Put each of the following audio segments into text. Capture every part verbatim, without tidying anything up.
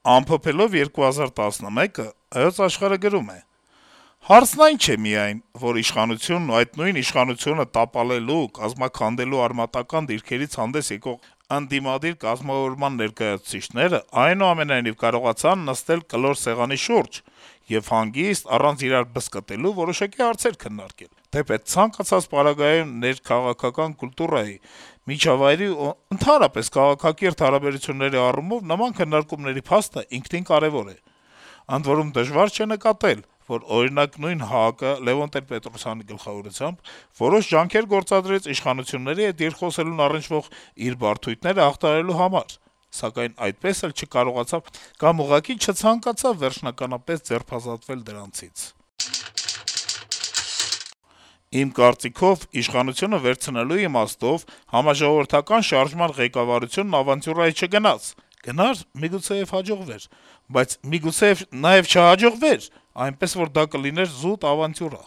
Ամփոփելով երկու հազար տասնմեկը Հայոց Աշխարհը գրում է. - «Հարցն այն չէ միայն, որ իշխանությունն ու այդ նույն իշխանությունը տապալելու, կազմաքանդելու արմատական դիրքերից հանդես եկող ընդդիմադիր կազմավորման ներկայացուցիչները այնուամենայնիվ կարողացան նստել կլոր սեղանի շուրջ եւ հանգիստ, առանց իրար բզկտելու որոշակի հարցեր քննարկել, թեպետ ցանկացած պարագայում ներքաղաքական կուլտուրայի, միջավայրի ու ընդհանրապես քաղաքակիրթ հարաբերությունների առումով նման քննարկումների փաստը ինքնին կարեւոր է: Ընդ որում դժվար չէ նկատել, որ օրինակ նույն ՀԱԿ-ը Լեւոն Տեր-Պետրոսյանի գլխավորությամբ որոշ ջանքեր գործադրեց իշխանությունների հետ երկխոսելուն առնչվող իր բարդույթները հաղթահարելու համար, սակայն այդպես էլ չկարողացավ կամ ուղղակի չցանկացավ վերջնականապես ձերբազատվել դրանցից: Իմ կարծիքով, իշխանությունը վերցնելու իմաստով համաժողովրդական շարժման ղեկավարությունն ավանտյուրայի չգնաց: Գնար, միգուցեեւ հաջողվեր, բայց միգուցեեւ նաեւ չհաջողվեր, այնպես որ դա կլիներ զուտ ավանտյուրա: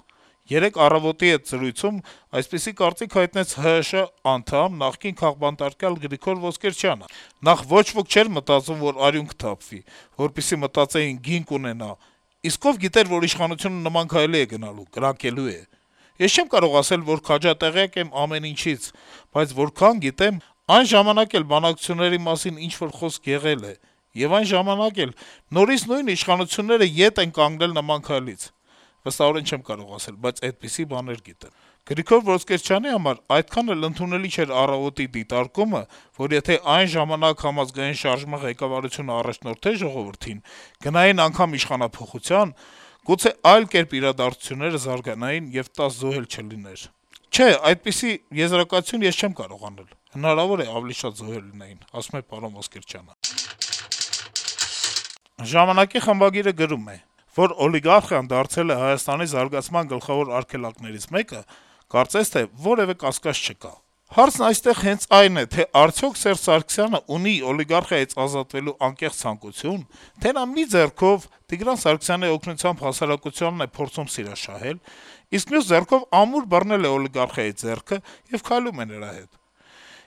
Երեկ «Առավոտ»-ի հետ զրույցում այսպիսի կարծիք հայտնեց ՀՀՇ անդամ, նախկին քաղբանտարկյալ Գրիգոր Ոսկերչյանը: Նախ, ոչ ոք չէր մտածում, որ արյուն կթափվի, որպեսզի մտածեին գին կունենա, իսկ ով գիտեր, որ իշխանությունը նման քայլի է գնալու, կրակելու է: Ես չեմ կարող ասել, որ քաջատեղյակ եմ ամեն ինչից, բայց որքան գիտեմ, այն ժամանակ էլ բանակցությունների մասին ինչ-որ խոսք եղել է, եւ այն ժամանակ էլ նորից նույն իշխանությունները ետ են կանգնել նման քայլից: Վստահորեն չեմ կարող ասել, բայց այդպիսի բաներ գիտեմ: Գրիգոր Ոսկերչյանի համար այդքան էլ ընդունելի չէր «Առավոտ»-ի դիտարկումը, որ եթե այն ժամանակ Համազգային շարժման ղեկավարությունը առաջնորդեր ժողովրդին, գնային անգամ իշխանափոխության, գուցե այլ կերպ իրադարձությունները զարգանային, եւ տաս զոհ էլ չլիներ: Չէ, այդպիսի եզրակացություն ես չեմ կարող անել: Հնարավոր է ավելի շատ զոհեր լինեին», - ասում է պարոն Ոսկերչյանը: «Ժամանակ»-ի խմբագիրը գրում է. - «Որ օլիգարխիան դարձել է Հայաստանի զարգացման գլխավոր արգելակներից մեկը, կարծես թե որեւէ կասկած չկա: Հարցն այստեղ հենց այն է, թե արդյոք Սերժ Սարգսյանն ունի օլիգարխիայից ազատվելու անկեղծ ցանկություն, թե նա մի ձեռքով Տիգրան Սարգսյանի օգնությամբ հասարակությանն է փորձում սիրաշահել, իսկ մյուս ձեռքով ամուր բռնել է օլիգարխիայի ձեռքը եւ քայլում է նրա հետ: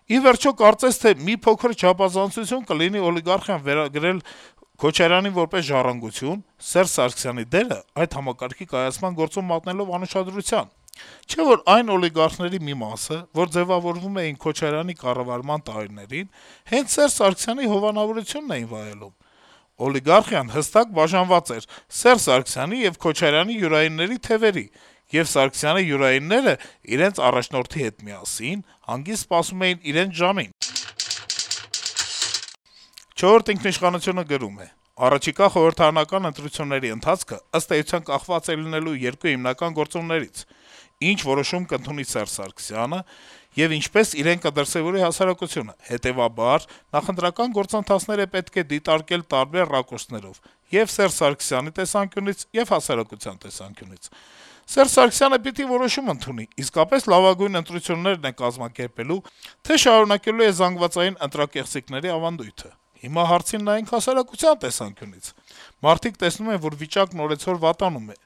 Ի վերջո, կարծես թե մի փոքր չափազանցություն կլինի օլիգարխիան վերագրել Քոչարյանին որպես ժառանգություն, Սերժ Սարգսյանի դերը այդ համակարգի կայացման գործում մատնելով անուշադրության: Չէ՞ որ այն օլիգարխների մի մասը, որ ձեւավորվում էին Քոչարյանի կառավարման տարիներին, հենց Սերժ Սարգսյանի հովանավորությունն էին վայելում: Օլիգարխիան հստակ բաժանված էր Սերժ Սարգսյանի եւ Քոչարյանի յուրայինների թեւերի, եւ Սարգսյանի յուրայինները իրենց առաջնորդի հետ միասին հանգիստ սպասում էին իրենց ժամին»: «Չորրորդ ինքնիշխանություն»-ը գրում է. - «Առաջիկա խորհրդարանական ընտրությունների ընթացքը ըստ էության կախված է լինելու երկու հիմնական գործոններից. ինչ որոշում կընդունի Սերժ Սարգսյանը եւ ինչպես իրեն կդրսեւորի հասարակությունը: Հետեւաբար, նախընտրական գործընթացները պետք է դիտարկել տարբեր ռակուրսներով եւ Սերժ Սարգսյանի տեսանկյունից, եւ հասարակության տեսանկյունից: Սերժ Սարգսյանը պիտի որոշում ընդունի՝ իսկապես լավագույն ընտրություններ է կազմակերպելու, թե շարունակելու է զանգվածային ընտրակեղծիքների ավանդույթը: Հիմա հարցին նայենք հասարակության տեսանկյունից: Մարդիկ տեսնում են, որ վիճակն օրեցօր վատանում է,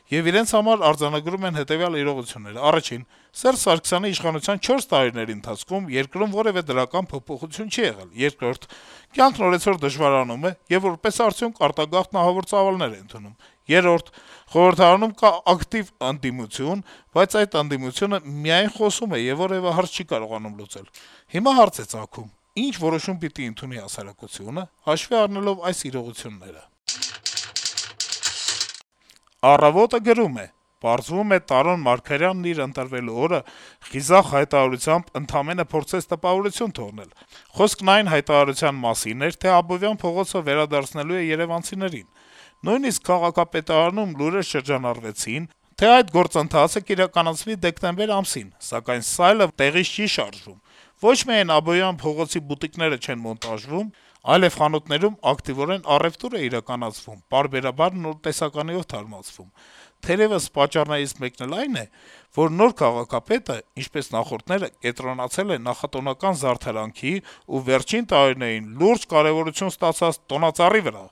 եւ իրենց համար արձանագրում են հետեւյալ իրողությունները. Առաջին՝ Սերժ Սարգսյանի իշխանության չորս տարիների ընթացքում երկրում որեւէ դրական փոփոխություն չի եղել: Երկրորդ՝ կյանքն օրեցօր դժվարանում է, եւ որպես արդյունք արտագաղթն ահավոր ծավալներ է ընդունում: Երրորդ՝ խորհրդարանում կա ակտիվ ընդդիմություն, բայց այդ ընդդիմությունը միայն խոսում է եւ որեւէ հարց չի կարողանում լուծել: Հիմա հարց է ծագում՝ ինչ որոշում պիտի ընդունի հասարակությունը՝ հաշվի առնելով այս իրողությունները»: «Առավոտ»-ը գրում է. - «Պարզվում է, Տարոն Մարգարյանն իր ընտրվելու օրը խիզախ հայտարարությամբ ընդամենը փորձեց տպավորություն թողնել: Խոսքն այն հայտարարության մասին էր, թե Աբովյան փողոցը վերադարձնելու է երեւանցիներին: Նույնիսկ քաղաքապետարանում լուրեր շրջանառվեցին, թե այդ գործընթացը կիրականացվի դեկտեմբեր ամսին: Սակայն սայլը տեղից չի շարժվում: Ոչ միայն Աբովյան փողոցի բուտիկները չեն մոնտաժվում, այլեւ խանութներում ակտիվորեն առեւտուր է իրականացվում, պարբերաբար նոր տեսականիով թարմացվում: Թերեւս պատճառներից մեկն էլ այն է, որ նոր քաղաքապետը, ինչպես նախորդները, կենտրոնացել է նախատոնական զարդարանքի ու վերջին տարիներին լուրջ կարեւորություն ստացած տոնածառի վրա»: